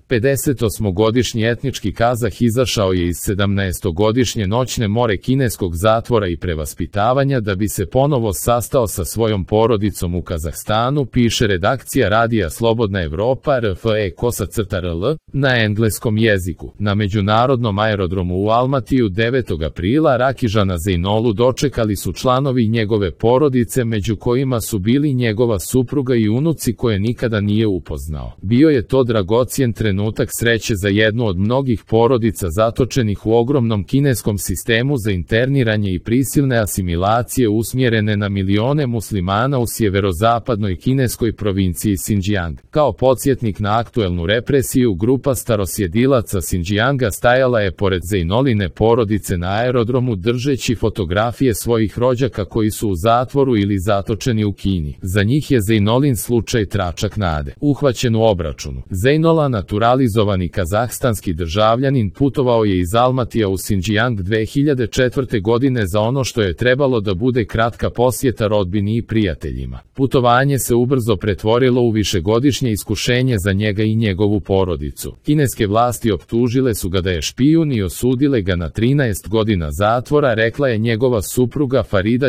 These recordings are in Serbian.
58-godišnji etnički Kazah izašao je iz 17-godišnje noćne more kineskog zatvora i prevaspitavanja da bi se ponovo sastao sa svojom porodicom u Kazahstanu, piše redakcija radija Slobodna Evropa RFE-KOSA-RL na engleskom jeziku. Na međunarodnom aerodromu u Almatiju 9. aprila Rakizana Zeynolu dočekali su članovi njegove porodice, među kojima su bili njegova supruga i unuci koje nikada nije upoznao. Bio je to dragocjen trenutak sreće za jednu od mnogih porodica zatočenih u ogromnom kineskom sistemu za interniranje i prisilne asimilacije usmjerene na milione muslimana u sjeverozapadnoj kineskoj provinciji Xinjiang. Kao podsjetnik na aktuelnu represiju, grupa starosjedilaca Xinjianga stajala je pored Zeynoline porodice na aerodromu držeći fotografije svojih rođaka koji su u zatvoru ili zatočeni u Kini. Za njih je Zeynolin slučaj tračak nade. Uhvaćen u obračunu. Zeynola, naturalizovani kazahstanski državljanin, putovao je iz Almatija u Xinjiang 2004. godine za ono što je trebalo da bude kratka posjeta rodbini i prijateljima. Putovanje se ubrzo pretvorilo u višegodišnje iskušenje za njega i njegovu porodicu. Kineske vlasti optužile su ga da je špijun i osudile ga na 13 godina zatvora, rekla je njegova supruga Farida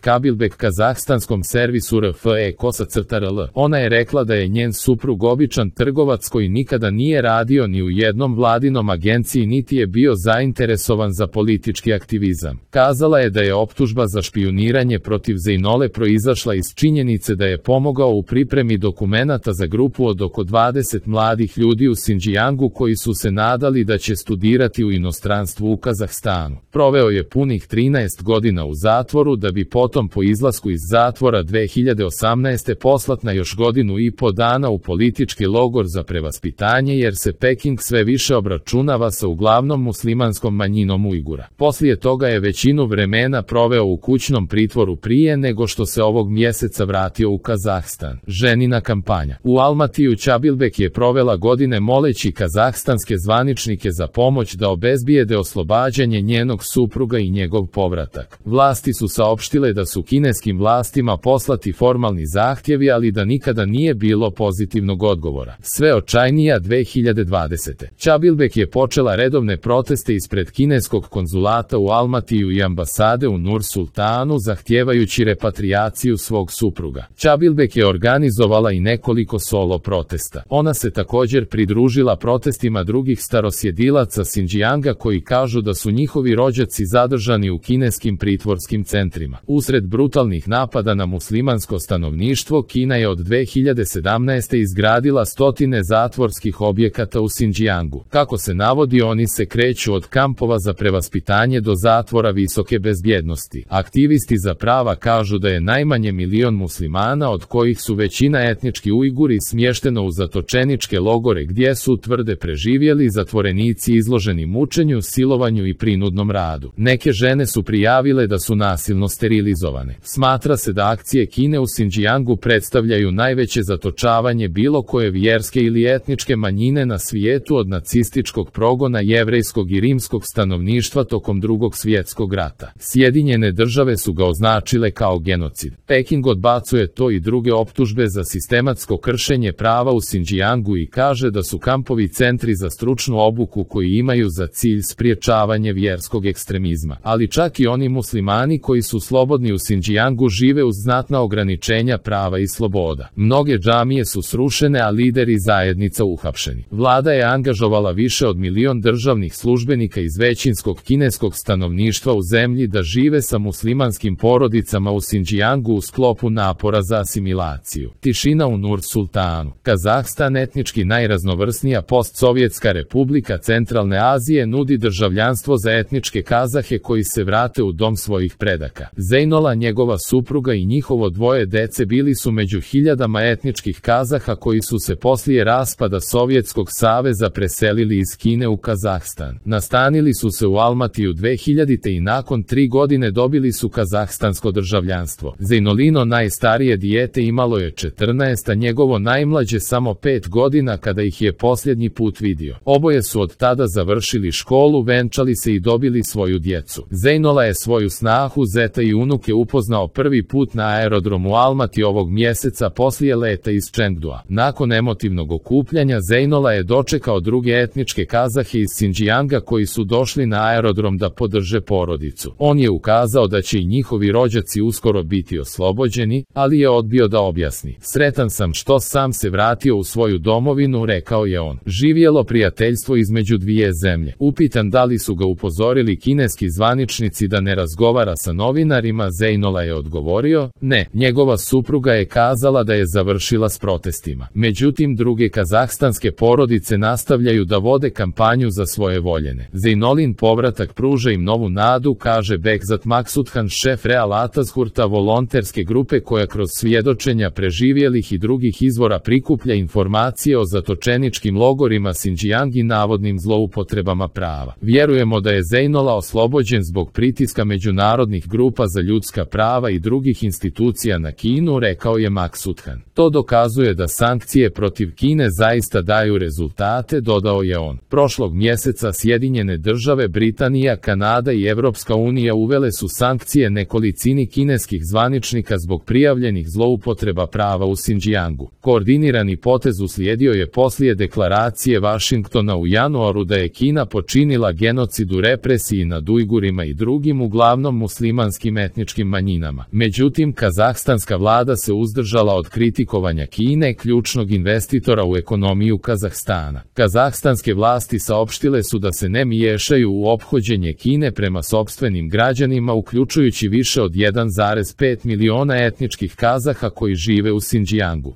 Kabilbek kazahstanskom servisu RFE-KOSA-RL. Ona je rekla da je njen suprug običan trgovac koji nikada nije radio ni u jednom vladinom agenciji niti je bio zainteresovan za politički aktivizam. Kazala je da je optužba za špijuniranje protiv Zeynole proizašla iz činjenice da je pomogao u pripremi dokumenata za grupu od oko 20 mladih ljudi u Xinjiangu koji su se nadali da će studirati u inostranstvu u Kazahstanu. Proveo je punih 13 godina u zatvoru da bi potom po izlasku iz zatvora 2018. poslat na još godinu i po dana u politički logor za prevaspitanje jer se Peking sve više obračunava sa uglavnom muslimanskom manjinom Ujgura. Poslije toga je većinu vremena proveo u kućnom pritvoru prije nego što se ovog mjeseca vratio u Kazahstan. Ženina kampanja. U Almatiju Kabilbek je provela godine moleći kazahstanske zvaničnike za pomoć da obezbijede oslobađanje njenog supruga i njegov povratak. Vlasti su saopštile da su kineskim vlastima poslati formalni zahtjevi, ali da nikada nije bilo pozitivnog odgovora. Sve očajnija 2020. Kabilbek je počela redovne proteste ispred kineskog konzulata u Almatiju i ambasade u Nur Sultanu zahtijevajući repatrijaciju svog supruga. Kabilbek je organizovala i nekoliko solo protesta. Ona se također pridružila protestima drugih starosjedilaca Xinjianga koji kažu da su njihovi rođaci zadržani u kineskim pritvorskim centrima. Usred brutalnih napada na muslimansko stanovništvo, Kina je od 2017. izgradila stotine zatvorskih objekata u Xinjiangu. Kako se navodi, oni se kreću od kampova za prevaspitanje do zatvora visoke bezbjednosti. Aktivisti za prava kažu da je najmanje milion muslimana, od kojih su većina etnički Ujguri, smješteno u zatočeničke logore gdje su, tvrde, preživjeli zatvorenici izloženi mučenju, silovanju i prinudnom radu. Neke žene su prijavile da su nasilno sterilizovane. Smatra se da akcije Kine u Xinjiangu predstavljaju najveće zatočavanje bilo koje vjerske ili etničke manjine na svijetu od nacističkog progona jevrejskog i rimskog stanovništva tokom Drugog svjetskog rata. Sjedinjene države su ga označile kao genocid. Peking odbacuje to i druge optužbe za sistematsko kršenje prava u Xinjiangu i kaže da su kampovi centri za stručnu obuku koji imaju za cilj spriječavanje vjerskog ekstremizma. Ali čak i oni muslimani koji su slobodni u Xinjiangu žive uz znatna ograničenja prava i sloboda. Mnoge džamije su srušene, a lideri zajednica uhapšeni. Vlada je angažovala više od milion državnih službenika iz većinskog kineskog stanovništva u zemlji da žive sa muslimanskim porodicama u Xinjiangu u sklopu napora za asimilaciju. Tišina u Nur Sultanu. Kazahstan, etnički najraznovrsnija postsovjetska republika Centralne Azije, nudi državljanstvo za etničke Kazahe koji se vrate u dom svojih predaka. Zeynola, njegova supruga i njihovo dvoje dece bili su među hiljadama etničkih Kazaha koji su se poslije raspada Sovjetskog saveza preselili iz Kine u Kazahstan. Nastanili su se u Almatiju 2000. i nakon 3 godine dobili su kazahstansko državljanstvo. Zeynolino najstarije dijete imalo je 14, a njegovo najmlađe samo 5 godina kada ih je je posljednji put vidio. Oboje su od tada završili školu, venčali se i dobili svoju djecu. Zejnola je svoju snahu, zeta i unuke upoznao prvi put na aerodromu Almati ovog mjeseca poslije leta iz Čengdua. Nakon emotivnog okupljanja Zejnola je dočekao druge etničke Kazahe iz Sinđijanga koji su došli na aerodrom da podrže porodicu. On je ukazao da će i njihovi rođaci uskoro biti oslobođeni, ali je odbio da objasni. Sretan sam što sam se vratio u svoju domovinu, rekao je on. Živjelo prijateljstvo između dvije zemlje. Upitan da li su ga upozorili kineski zvaničnici da ne razgovara sa novinarima, Zejnola je odgovorio, ne, njegova supruga je kazala da je završila s protestima. Međutim, druge kazahstanske porodice nastavljaju da vode kampanju za svoje voljene. Zejnolin povratak pruža im novu nadu, kaže Bekzat Maksuthan, šef Real Atazhurta, volonterske grupe koja kroz svjedočenja preživjelih i drugih izvora prikuplja informacije o zatočeničkim logorima Sinđijang i navodnim zloupotrebama prava. Vjerujemo da je Zejnola oslobođen zbog pritiska međunarodnih grupa za ljudska prava i drugih institucija na Kinu, rekao je Maksuthan. To dokazuje da sankcije protiv Kine zaista daju rezultate, dodao je on. Prošlog mjeseca Sjedinjene države, Britanija, Kanada i Evropska unija uvele su sankcije nekolicini kineskih zvaničnika zbog prijavljenih zloupotreba prava u Sinđijangu. Koordinirani potez uslijedio je poslije deklaracije Vašingtona u januaru da je Kina počinila genocid u represiji nad Ujgurima i drugim uglavnom muslimanskim etničkim manjinama. Međutim, kazahstanska vlada se uzdržala od kritikovanja Kine, ključnog investitora u ekonomiju Kazahstana. Kazahstanske vlasti saopštile su da se ne miješaju u ophođenje Kine prema sopstvenim građanima, uključujući više od 1,5 miliona etničkih Kazaha koji žive u Sinđijangu.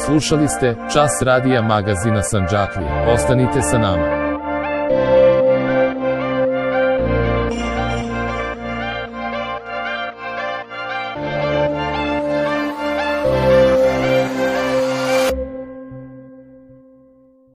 Slušali ste Čas radija magazina Sandžaklija. Ostanite sa nama.